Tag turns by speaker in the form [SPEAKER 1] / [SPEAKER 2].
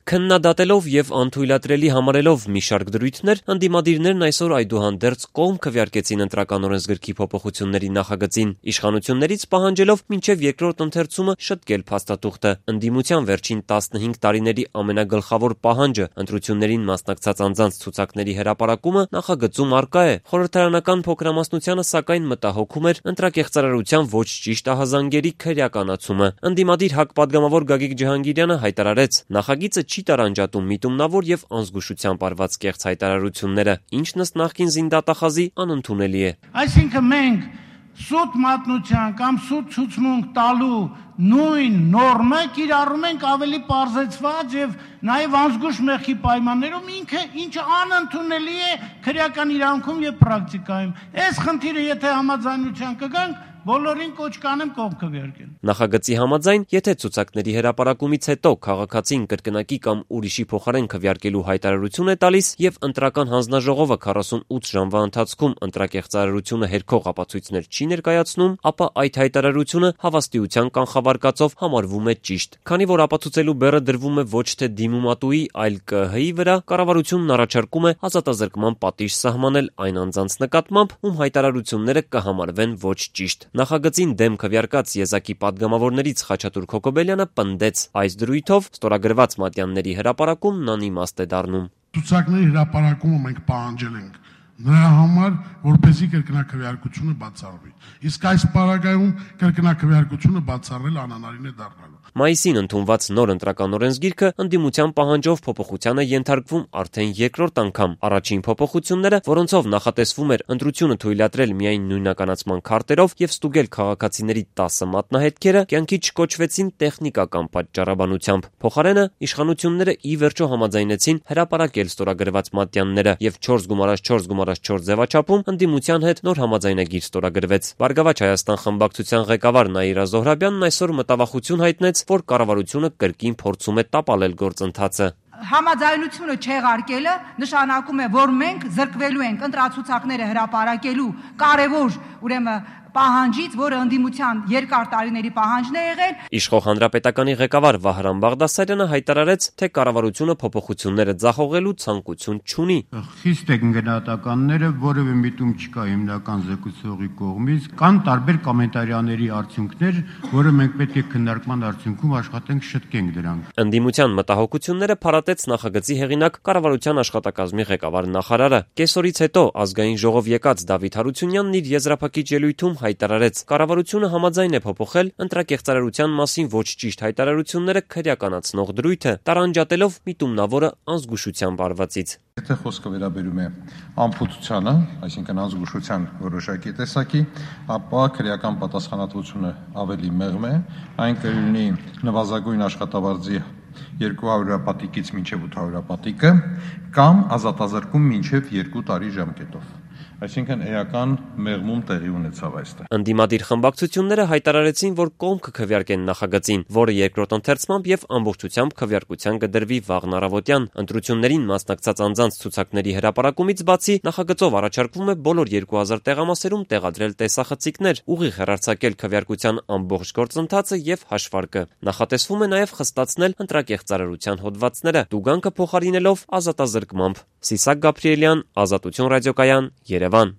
[SPEAKER 1] Քննադատելով եւ անթույլատրելի համարելով մի շարք դրույթներ, ընդդիմադիրներն այսօր այդուհանդերձ կողմ քվեարկեցին ընտրական օրենսգրքի փոփոխությունների նախագծին, իշխանություններից պահանջելով մինչեւ երկրորդ ընթերցումը շտկել փաստաթուղթը։ Ընդդիմության վերջին 15 տարիների ամենագլխավոր պահանջը ընտրություններին մասնակցած անձանց ցուցակների հրապարակումը նախագծում առկա է։ Խորհրդարանական փոքրամասնությանը սակայն մտահոգում էր ընտրակեղծարարության ոչ ճիշտ ահազանգերի քրեականացումը։ Ընդդիմադիր ՀԱԿ պատգամավոր Գագիկ Ջհանգիրյանը հայտարարեց, նախագիծը չի տարանջատում միտումնավոր եւ անզգուշությամբ արված կեղծ հայտարարությունները, ինչն ըստ նախկին զինդատախազի անընդունելի է։
[SPEAKER 2] Այսինքն մենք սուտ մատնության կամ սուտ ցուցմունք տալու նույն նորմը կիրառում ենք ավելի պարզեցված եւ նաեւ անզգուշ մեղքի պայմաններում, ինչը անընդունելի է քրեական իրավունքում եւ պրակտիկայում։ Այս խնդիրը եթե համաձայնության կգանք, բոլորին կոչ կանեմ կողմ քվեարկել։
[SPEAKER 1] Նախագծի համաձայն, եթե ցուցակների հրապարակումից հետո քաղաքացին կրկնակի կամ ուրիշի փոխարեն քվեարկելու հայտարարություն է տալիս եւ ընտրական հանձնաժողովը 48 ժամվա ընթացքում ընտրակեղծարարությունը հերքող ապացույցներ չի ներկայացնում, ապա այդ հայտարարությունը հավաստիության կանխավարկածով համարվում է ճիշտ։ Քանի որ ապացուցելու բեռը դրվում է ոչ թե դիմումատուի, այլ ԿՀ-ի վրա, կառավարությունն առաջարկում է ազատազրկման պատիժ սահմանել այն անձանց նկատմամբ, ում հայտարարությունները կհամարվեն ոչ ճիշտ։ Նախագծին դեմ քվեարկած եզակի պատգամավորներից Խաչատուր Քոկոբելյանը պնդեց, այս դրույթով ստորագրված մատյանների հրապարակումն անիմաստ է դառնում։
[SPEAKER 3] Ցուցակների հրապարակումը մենք պահանջել ենք նրա համար, որպեսզի կրկնակվեարկությունը բացառվի։ Իսկ այս պարագայում կրկնակվեարկությունը բացառել անհնարին է դառնալու։
[SPEAKER 1] Մայիսին ընդունված նոր ընտրական օրենսգիրքը ընդդիմության պահանջով փոփոխության է ենթարկվում արդեն երկրորդ անգամ։ Առաջին փոփոխությունները, որոնցով նախատեսվում էր ընտրությունը թույլատրել միայն նույնականացման քարտերով եւ ստուգել քաղաքացիների 10 մատնահետքերը, կյանքի չկոչվեցին տեխնիկական պատճառաբանությամբ։ Փոխարենը իշխանությունները ի վերջո համաձայնեցին հրապարակել ստորագրված մատյանները եւ 4x4x4 ձևաչափում ընդդիմության հետ նոր համաձայնագիր ստորագրվեց։ Բարգավաճ Հայաստան խմբակցության ղեկավար Նաիրա Զոհրաբյանն այսօր մտավախություն հայտնեց, որ կառավարությունը կրկին փորձում է տապալել գործընթացը։
[SPEAKER 4] Համաձայնությունը չեղարկելը նշանակում է, որ մենք զրկվելու ենք ընտրացուցակները հրապարակելու կարևոր, ուրեմն պահանջից, որը ընդդիմության երկար տարիների պահանջն է եղել։
[SPEAKER 1] Իշխող Հանրապետականի ղեկավար Վահրամ Բաղդասարյանը հայտարարեց, թե կառավարությունը փոփոխությունները ձախողելու ցանկություն չունի։
[SPEAKER 5] Խիստ են գնահատականները, որևէ միտում չկա հիմնական զեկուցողի կողմից, կան տարբեր կոմենտարիաների արդյունքներ, որը մենք պետք է քննարկման արդյունքում աշխատենք շտկենք դրանք։
[SPEAKER 1] Ընդդիմության մտահոգությունները փարատեց նախագծի հեղինակ կառավարության աշխատակազմի ղեկավար նախարարը։ Կեսօրից հետո ազգային ժողով եկած Դավիթ Հարությունյանն իր եզրափակիչ ելույթում հայտարարեց, կառավարությունը համաձայն է փոփոխել ընտրակեղծարարության մասին ոչ ճիշտ հայտարարությունները քրեականացնող դրույթը, տարանջատելով միտումնավորը անզգուշությամբ արվածից։
[SPEAKER 6] Եթե խոսքը վերաբերում է անփութությանը, այսինքն անզգուշության որոշակի տեսակի, ապա քրեական պատասխանատվությունը ավելի մեղմ է, այն կլինի նվազագույն աշխատավարձի 200 հրապատիկից մինչև 800 հրապատիկը կամ ազատազրկում մինչև 2 տարի ժամկետով։ Այսինքն էական մեղմում տեղի ունեցավ այստեղ։
[SPEAKER 1] Ընդդիմադիր խմբակցությունները հայտարարեցին, որ կողմ կքվեարկեն նախագծին, որը երկրորդ ընթերցմամբ եւ ամբողջությամբ քվեարկության կդրվի վաղն առավոտյան։ Ընտրություններին մասնակցած անձանց ցուցակների հրապարակումից բացի նախագծով առաջարկվում է բոլոր 2000 տեղամասերում տեղադրել տեսախցիկներ, ուղիղ հեռարձակել քվեարկության ամբողջ գործընթացը եւ հաշվարկը։ Նախատեսվում է նաեւ խստացնել ընտրակեղծարարության հոդվածները, տուգանքը փոխարինելով ազատազրկմամբ։ Սիսակ Գաբրիելյան, Ազատություն ռադիոկայան, Երևան։